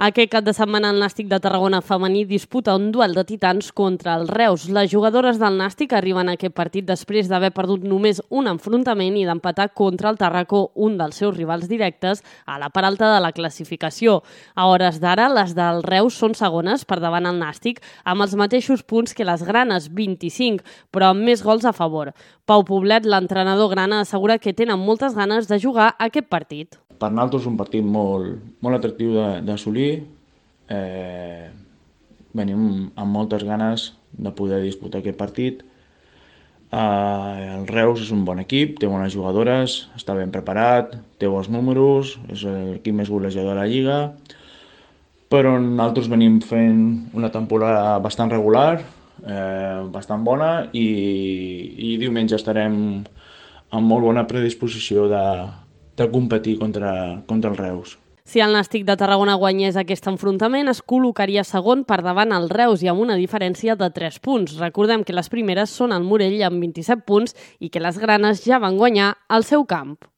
Aquest cap de setmana el Nàstic de Tarragona femení disputa un duel de titans contra el Reus. Les jugadores del Nàstic arriben a aquest partit després d'haver perdut només un enfrontament i d'empatar contra el Tàrraco, un dels seus rivals directes, a la part alta de la classificació. A hores d'ara, les del Reus són segones per davant el Nàstic, amb els mateixos punts que les granes, 25, però amb més gols a favor. Pau Poblet, l'entrenador grana, assegura que tenen moltes ganes de jugar aquest partit. Per nosaltres és un partit molt atractiu d'assolir. Venim amb moltes ganes de poder disputar aquest partit. El Reus és un bon equip, té bones jugadores, està ben preparat, té bons números, és l'equip més golejador de la Lliga, però nosaltres venim fent una temporada bastant regular, bastant bona, i diumenge estarem amb molt bona predisposició de competir contra el Reus. Si el Nàstic de Tarragona guanyés aquest enfrontament, es col·locaria segon per davant el Reus i amb una diferència de 3 punts. Recordem que les primeres són el Morell amb 27 punts i que les granes ja van guanyar al seu camp.